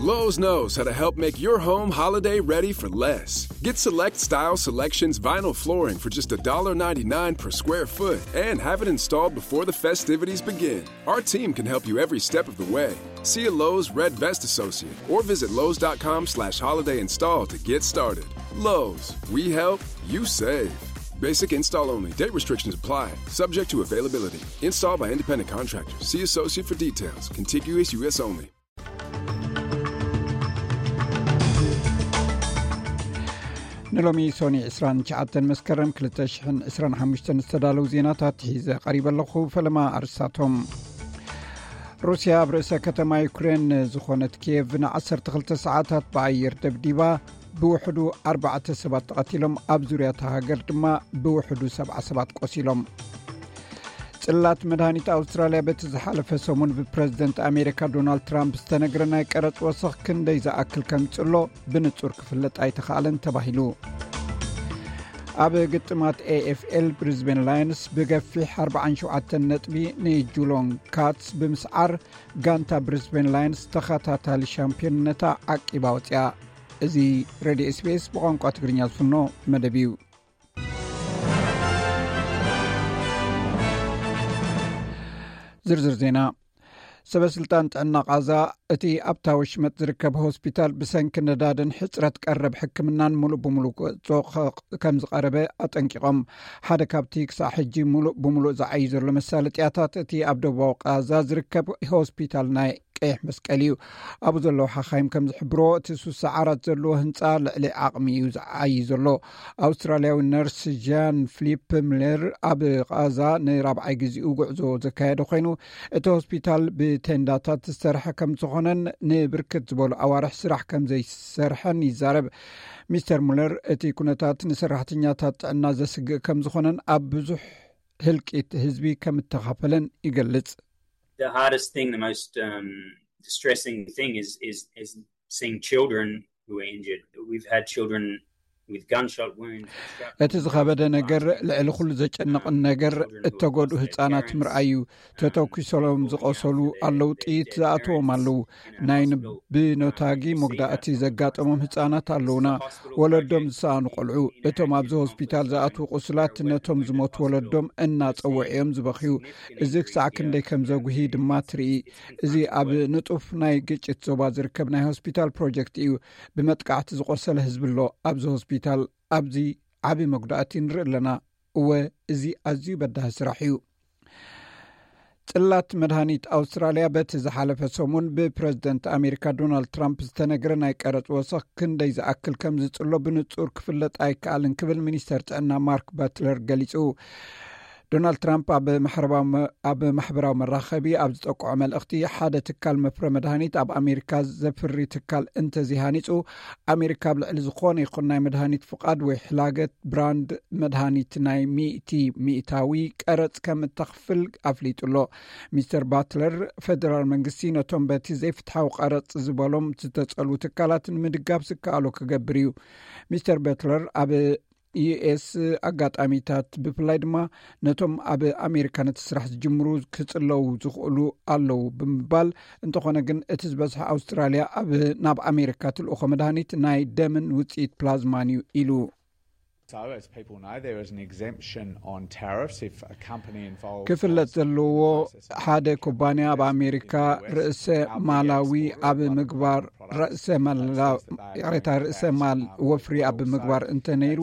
Lowe's knows how to help make your home holiday ready for less. Get select style selections vinyl flooring for just a dollar ninety-nine per square foot and have it installed before the festivities begin. Our team can help you every step of the way. See a Lowe's Red Vest associate or visit lowes.com slash holiday install to get started. Lowe's, we help, you save. Basic install only. Date restrictions apply. Subject to availability. Install by independent contractor. See associate for details. Contiguous U S only. ንሎሚ ሶኒ ዕስራን ትሽዓተን መስከረም ክልተ ሽሕን ዕስራን ሓሙሽተን ዝተዳለዉ ዜናታት ሒዘ ቀሪበ ኣለኹ። ፈለማ ኣርስታቶም። ሩስያ ኣብ ርእሰ ከተማ ዩክሬን ዝኾነት ኪየቭ ንዓሰርተ ክልተ ሰዓታት ብኣየር ደብዲባ፣ ብውሕዱ ኣርባዕተ ሰባት ተቐቲሎም፣ ኣብ ዙርያ እታ ሃገር ድማ ብውሕዱ ሰብዓ ሰባት ቆሲሎም። ጽላት መድሃኒት ኣውስትራልያ በቲ ዝሓለፈ ሰሙን ብፕረዚደንት ኣሜሪካ ዶናልድ ትራምፕ ዝተነግረ ናይ ቀረጽ ወሰኽ ክንደይ ዝኣክል ከምጽሎ ብንጹር ክፍለጥ ኣይተኻእለን ተባሂሉ። ኣብ ግጥማት ኤ ኤፍ ኤል ብሪዝቤን ላየንስ ብገፊሕ ኣርባዓን ሸውዓተን ነጥቢ ንጁሎን ካትስ ብምስዓር ጋንታ ብሪዝቤን ላየንስ ተኸታታሊ ሻምፒዮንነታ ዓቂባ ወጽያ። እዚ ሬድዮ ኤስ ቢ ኤስ ብቋንቋ ትግርኛ ዝፍኖ መደብ እዩ። ዝርዝር ዜና። ሰበ ስልጣን ጥዕና ቃዛ እቲ ኣብታ ወሽመጥ ዝርከብ ሆስፒታል ብሰንኪ ነዳድን ሕጽረት ቀረብ ሕክምናን ሙሉእ ብሙሉእ ክወጾ ከ-፣ ከም ዝቐረበ ኣጠንቂቖም። ሓደ ካብቲ ክሳዕ ሕጂ ሙሉእ ብሙሉእ ዝዓዩ ዘሎ መሳለጥያታት እቲ ኣብ ደቡባዊ ቃዛ ዝርከብ ሆስፒታል ናይ ቀይሕ መስቀል እዩ። ኣብኡ ዘለዉ ሓኻይም ከም ዝሕብሮ እቲ ሱሳ ዓራት ዘለዎ ህንጻ ልዕሊ ዓቕሚ እዩ ዝዓዪ ዘሎ። ኣውስትራልያዊ ነርስ ጃን ፍሊፕ ምለር ኣብ ቃዛ ንራብዓይ ግዜኡ ጉዕዞ ዘካየደ ኮይኑ፣ እቲ ሆስፒታል ብቴንዳታት ዝሰርሐ ከም ዝኾነን ንብርክት ዝበሉ ኣዋርሕ ስራሕ ከም ዘይሰርሐን ይዛረብ። ሚስተር ሙለር እቲ ኩነታት ንሰራሕተኛታት ጥዕና ዘስግእ ከም ዝኾነን ኣብ ብዙሕ ህልቂት ህዝቢ ከም እተኻፈለን ይገልጽ። The hardest thing, the most, um, distressing thing is, is, is seeing children who are injured. We've had children with gunshot wounds. እቲ ዝኸበደ ነገር፣ ልዕሊ ኩሉ ዘጨንቕን ነገር፣ እተጎድኡ ህጻናት ምርኣይ እዩ። ተተኩሶሎም ዝቆሰሉ ኣለዉ፣ ጥይት ዝኣትዎም ኣለዉ። ናይ ን-፣ ብኖታጊ መጉዳእቲ ዘጋጠሞም ህጻናት ኣለዉና። ወለዶም ዝሰኣኑ ቆልዑ፣ እቶም ኣብዚ ሆስፒታል ዝኣትዉ ቁስላት ነቶም ዝሞቱ ወለዶም እናጸውዑ እዮም ዝበኽዩ። እዚ ክሳዕ ክንደይ ከም ዘጉሂ ድማ ትርኢ። እዚ ኣብ ንጡፍ ናይ ግጭት ዞባ ዝርከብ ናይ ሆስፒታል ፕሮጀክት እዩ። ብመጥቃዕቲ ዝቆሰለ ህዝቢ ኣሎ ኣብዚ ሆስፒታል። ኣብዚ ዓቢ መጉዳእቲ ንርኢ ኣለና። እወ፣ እዚ ኣዝዩ በዳሂ ስራሕ እዩ። ጽላት መድሃኒት ኣውስትራልያ በቲ ዝሓለፈ ሰሙን ብፕረዚደንት ኣሜሪካ ዶናልድ ትራምፕ ዝተነግረ ናይ ቀረጽ ወሰኽ ክንደይ ዝኣክል ከም ዝጽሎ ብንጹር ክፍለጥ ኣይከኣልን ክብል ሚኒስተር ጥዕና ማርክ በትለር ገሊጹ። ዶናልድ ትራምፕ ኣብ ማሕበራዊ መ-፣ ኣብ ማሕበራዊ መራኸቢ ኣብ ዝጠቅዖ መልእኽቲ፣ ሓደ ትካል መፍረ መድሃኒት ኣብ ኣሜሪካ ዘፍሪ ትካል እንተዘይሃኒጹ፣ ኣሜሪካ ኣብ ልዕሊ ዝኾነ ይኹን ናይ መድሃኒት ፍቓድ ወይ ሕላገት ብራንድ መድሃኒት ናይ ሚእቲ ሚእታዊ ቀረጽ ከም እተኽፍል ኣፍሊጡ ኣሎ። ሚስተር ባትለር፣ ፈደራል መንግስቲ ነቶም በቲ ዘይፍትሓዊ ቀረጽ ዝበሎም ዝተጸልዉ ትካላት ንምድጋፍ ዝከኣሎ ክገብር እዩ። ሚስተር በትለር ኣብ ዩ ኤስ ኣጋጣሚታት፣ ብፍላይ ድማ ነቶም ኣብ ኣሜሪካ ነቲ ስራሕ ዝጅምሩ ክጽለዉ ዝኽእሉ ኣለዉ ብምባል፣ እንተኾነ ግን እቲ ዝበዝሐ ኣውስትራልያ ኣብ፣ ናብ ኣሜሪካ ትልእኾ መድሃኒት ናይ ደምን ውጽኢት ፕላዝማን እዩ ኢሉ። So, as people know, there is an exemption on tariffs if a company involved ክፍለጥ ዘለዎ፣ ሓደ ኩባንያ ኣብ ኣሜሪካ ርእሰ ማላዊ ኣብ ምግባር፣ ርእሰ ማላ-፣ ይቕሬታ፣ ርእሰ ማል ወፍሪ ኣብ ምግባር እንተነይሩ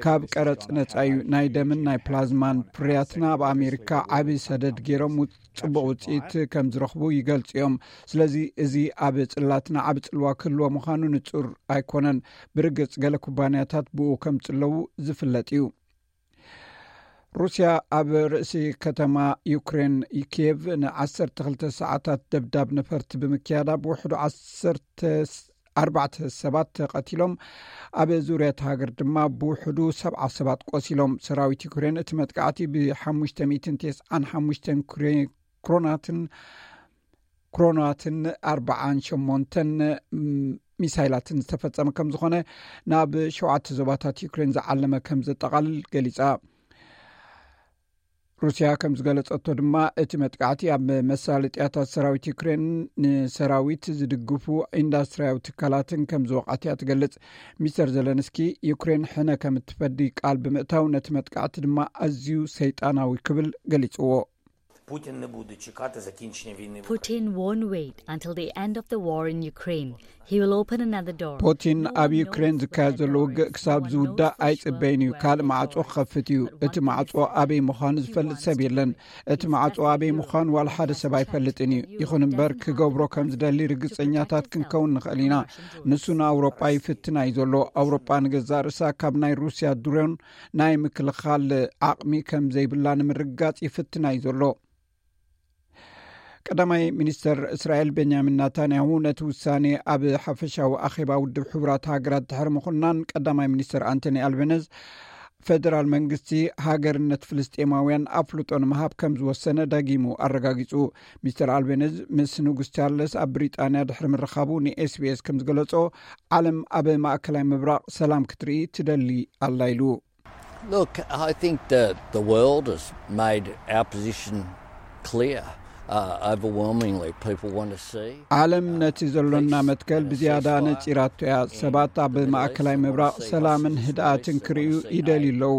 ካብ ቀረጽ ነጻ እዩ። ናይ ደምን ናይ ፕላዝማን ፍርያትና ኣብ ኣሜሪካ ዓቢ ሰደድ ገይሮም ውጽ-፣ ጽቡቕ ውጽኢት ከም ዝረኽቡ ይገልጹ እዮም። ስለዚ እዚ ኣብ ጽላትና ዓቢ ጽልዋ ክህልዎ ምዃኑ ንጹር ኣይኮነን። ብርግጽ ገለ ኩባንያታት ብኡ ከም ዝጽለዉ ዝፍለጥ እዩ። ሩስያ ኣብ ርእሲ ከተማ ዩክሬን ኪየቭ ንዓሰርተ ክልተ ሰዓታት ደብዳብ ነፈርቲ ብምክያዳ ብውሕዱ ዓሰርተ ኣርባዕተ ሰባት ተቐቲሎም፣ ኣብ ዙርያ እቲ ሃገር ድማ ብውሕዱ ሰብዓ ሰባት ቆሲሎም። ሰራዊት ዩክሬን እቲ መጥቃዕቲ ብሓሙሽተ ሚእትን ተስዓን ሓሙሽተን ክሬ-፣ ክሮናትን ክሮናትን ኣርባዓን ሸሞንተን ሚሳይላትን ዝተፈጸመ ከም ዝኾነ፣ ናብ ሸውዓተ ዞባታት ዩክሬን ዝዓለመ ከም ዘጠቓልል ገሊጻ። ሩስያ ከም ዝገለጸቶ ድማ፣ እቲ መጥቃዕቲ ኣብ መሳለጥያታት ሰራዊት ዩክሬን፣ ንሰራዊት ዝድግፉ ኢንዳስትሪያዊ ትካላትን ከም ዝወቕዐት እያ ትገልጽ። ሚስተር ዘለንስኪ፣ ዩክሬን ሕነ ከም እትፈዲ ቃል ብምእታው፣ ነቲ መጥቃዕቲ ድማ ኣዝዩ ሰይጣናዊ ክብል ገሊጽዎ። Путін не буде чекати закінчення війни в Putin won't wait until the end of the war in Ukraine. He will open another door. ፑቲን ኣብ ዩክሬን ዝካየድ ዘሎ ውግእ ክሳብ ዝውዳእ ኣይጽበይን እዩ። ካልእ ማዕጾ ክኸፍት እዩ። እቲ ማዕጾ ኣበይ ምዃኑ ዝፈልጥ ሰብ የለን። እቲ ማዕጾ ኣበይ ምዃኑ ዋላ ሓደ ሰብ ኣይፈልጥን እዩ። ይኹን እምበር፣ ክገብሮ ከም ዝደሊ ርግጸኛታት ክንከውን ንኽእል ኢና። ንሱ ንኣውሮጳ ይፍትና እዩ ዘሎ። ኣውሮጳ ንገዛእ ርእሳ ካብ ናይ ሩስያ ድሮን ናይ ምክልኻል ዓቕሚ ከም ዘይብላ ንምርግጋጽ ይፍትና እዩ ዘሎ። ቀዳማይ ሚኒስተር እስራኤል ቤንያሚን ናታንያሁ ነቲ ውሳኔ ኣብ ሓፈሻዊ ኣኼባ ውድብ ሕቡራት ሃገራት ድሕሪ ምኹናን፣ ቀዳማይ ሚኒስተር ኣንቶኒ ኣልቤነዝ፣ ፈደራል መንግስቲ ሃገርነት ፍልስጤማውያን ኣፍልጦ ንምሃብ ከም ዝወሰነ ደጊሙ ኣረጋጊጹ። ሚስተር ኣልቤነዝ ምስ ንጉስ ቻርለስ ኣብ ብሪጣንያ ድሕሪ ምርኻቡ ንኤስቢኤስ ከም ዝገለጾ፣ ዓለም ኣብ ማእከላይ ምብራቕ ሰላም ክትርኢ ትደሊ ኣላ ኢሉ። Look, I think that the world has made our position clear. Uh, overwhelmingly, people want to see. ዓለም ነቲ ዘሎና መትከል ብዝያዳ ነጺራቶ እያ። ሰባት ኣብ ማእከላይ ምብራቕ ሰላምን ህድኣትን ክርእዩ ይደልዩ ኣለዉ።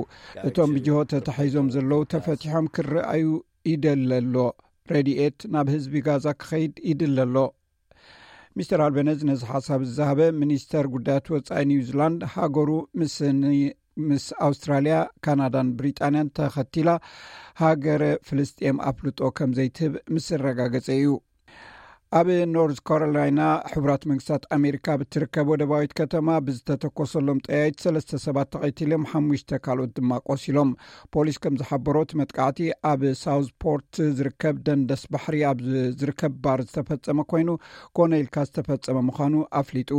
እቶም ብጅሆ ተታሒዞም ዘለዉ ተፈቲሖም ክረኣዩ ይደሊ ኣሎ። ረድኤት ናብ ህዝቢ ጋዛ ክኸይድ ይድለ ኣሎ። ሚስተር ኣልቤነዝ ነዚ ሓሳብ ዝዛሃበ፣ ሚኒስተር ጉዳያት ወጻኢ ኒውዚላንድ፣ ሃገሩ ምስ ኒ- ምስ ኣውስትራልያ፣ ካናዳን ብሪጣንያን ተኸቲላ ሃገረ ፍልስጤም ኣፍልጦ ከም ዘይትህብ ምስ ኣረጋገጸ እዩ። ኣብ ኖርዝ ካሮላይና፣ ሕቡራት መንግስታት ኣሜሪካ ብትርከብ ወደባዊት ከተማ ብዝተተኮሰሎም ጠያይት ሰለስተ ሰባት ተቐቲሎም፣ ሓሙሽተ ካልኦት ድማ ቆሲሎም። ፖሊስ ከም ዝሓበሮ፣ እቲ መጥቃዕቲ ኣብ ሳውዝ ፖርት ዝርከብ ደንደስ ባሕሪ ኣብ ዝርከብ ባር ዝተፈጸመ ኮይኑ፣ ኮነ ኢልካ ዝተፈጸመ ምዃኑ ኣፍሊጡ።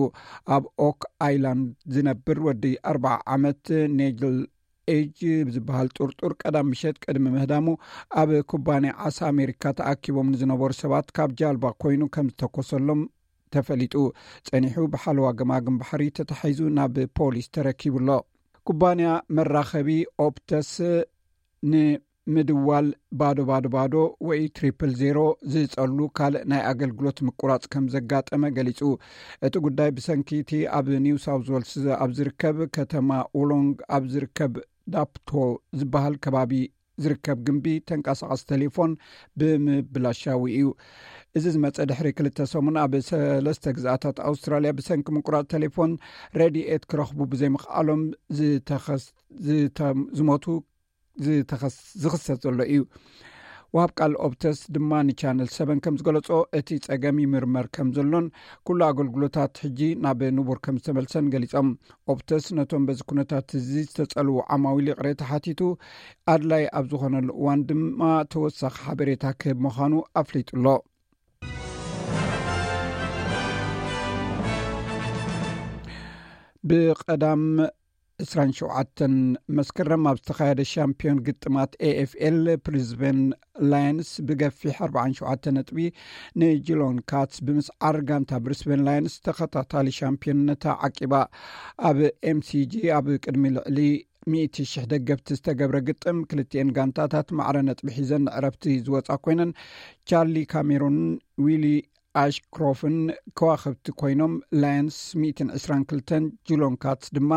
ኣብ ኦክ ኣይላንድ ዝነብር ወዲ ኣርብዓ ዓመት ኔጅል ኤጅ ዝበሃል ጥርጡር፣ ቀዳም ምሸት ቅድሚ ምህዳሙ፣ ኣብ ኩባንያ ዓሳ ኣሜሪካ ተኣኪቦም ንዝነበሩ ሰባት ካብ ጃልባ ኮይኑ ከም ዝተኮሰሎም ተፈሊጡ። ጸኒሑ ብሓለዋ ገማግም ባሕሪ ተታሒዙ ናብ ፖሊስ ተረኪቡ ኣሎ። ኩባንያ መራኸቢ ኦፕተስ ንምድዋል ባዶ ባዶ ባዶ ወይ ትሪፕል ዜሮ ዝጸሉ ካልእ ናይ ኣገልግሎት ምቁራጽ ከም ዘጋጠመ ገሊጹ። እቲ ጉዳይ ብሰንኪ እቲ ኣብ ኒው ሳውዝ ዌልስ ኣብ ዝርከብ ከተማ ኡሎንግ ኣብ ዝርከብ ዳፕቶ ዝበሃል ከባቢ ዝርከብ ግምቢ ተንቀሳቐሲ ቴሌፎን ብምብላሻዊ እዩ። እዚ ዝመጸ ድሕሪ ክልተ ሰሙን ኣብ ሰለስተ ግዝኣታት ኣውስትራልያ ብሰንኪ ምቁራጽ ቴሌፎን ረድኤት ክረኽቡ ብዘይምኽኣሎም ዝተኸስ- ዝተ- ዝሞቱ ዝተኸስ- ዝኽሰት ዘሎ እዩ። ወሃብ ቃል ኦፕተስ ድማ ንቻነል ሰበን ከም ዝገለጾ፣ እቲ ጸገም ይምርመር ከም ዘሎን ኩሉ ኣገልግሎታት ሕጂ ናብ ንቡር ከም ዝተመልሰን ገሊጾም። ኦፕተስ ነቶም በዚ ኩነታት እዚ ዝተጸልዉ ዓማዊል ይቕሬታ ሓቲቱ፣ ኣድላይ ኣብ ዝኾነሉ እዋን ድማ ተወሳኺ ሓበሬታ ክህብ ምዃኑ ኣፍሊጡ ኣሎ። ብቐዳም ዕስራን ሸውዓተን መስከረም ኣብ ዝተኻየደ ሻምፒዮን ግጥማት ኤኤፍኤል፣ ብሪዝበን ላየንስ ብገፊሕ ኣርባዓን ሸውዓተን ነጥቢ ንጂሎን ካትስ ብምስዓር፣ ጋንታ ብሪስበን ላየንስ ተኸታታሊ ሻምፒዮንነታ ዓቂባ። ኣብ ኤምሲጂ ኣብ ቅድሚ ልዕሊ ሚእቲ ሽሕ ደገፍቲ ዝተገብረ ግጥም፣ ክልቲኤን ጋንታታት ማዕረ ነጥቢ ሒዘን ንዕረፍቲ ዝወጻ ኮይነን፣ ቻርሊ ካሜሮን ዊሊ ኣሽክሮፍን ከዋኽብቲ ኮይኖም፣ ላየንስ ሚእትን ዕስራን ክልተን፣ ጂሎን ካትስ ድማ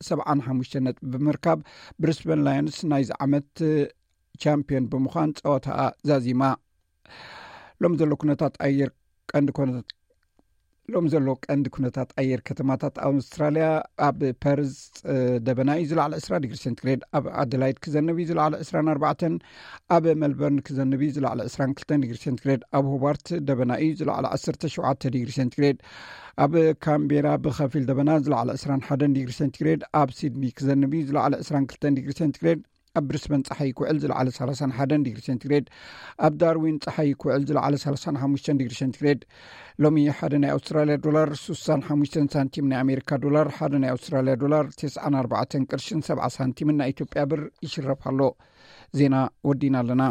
ሰብዓን ሓሙሽተን ነጥቢ ብምርካብ፣ ብሪስበን ላየንስ ናይዚ ዓመት ቻምፒዮን ብምዃን ጸወታኣ ዛዚማ። ሎም ዘሎ ኩነታት ኣየር ቀንዲ ኮነ- ሎም ዘሎ ቀንዲ ኩነታት ኣየር ከተማታት ኣውስትራልያ፣ ኣብ ፐርዝ ደበና እዩ፣ ዝለዓለ ዕስራ ዲግሪ ሴንቲግሬድ፣ ኣብ ኣደላይድ ክዘንብ እዩ፣ ዝለዓለ ዕስራን ኣርባዕተን፣ ኣብ ሜልበርን ክዘንብ እዩ፣ ዝለዓለ ዕስራን ክልተን ዲግሪ ሴንቲግሬድ፣ ኣብ ሆባርት ደበና እዩ፣ ዝለዓለ ዓሰርተ ሸውዓተ ዲግሪ ሴንቲግሬድ፣ ኣብ ካምቤራ ብኸፊል ደበና፣ ዝለዓለ ዕስራን ሓደን ዲግሪ ሴንቲግሬድ፣ ኣብ ሲድኒ ክዘንብ እዩ፣ ዝለዓለ ዕስራን ክልተን ዲግሪ ሴንቲግሬድ፣ ኣብ ብሪስበን ጸሓይ ክውዕል፣ ዝለዓለ ሰላሳን ሓደን ዲግሪ ሴንቲግሬድ፣ ኣብ ዳርዊን ጸሓይ ክውዕል፣ ዝለዓለ ሰላሳን ሓሙሽተን ዲግሪ ሴንቲግሬድ። ሎሚ ሓደ ናይ ኣውስትራልያ ዶላር ስሳን ሓሙሽተን ሳንቲም፣ ናይ ኣሜሪካ ዶላር ሓደ ናይ ኣውስትራልያ ዶላር ተስዓን ኣርባዕተን ቅርሽን ሰብዓ ሳንቲምን ናይ ኢትዮጵያ ብር ይሽረፍ ኣሎ። ዜና ወዲና ኣለና።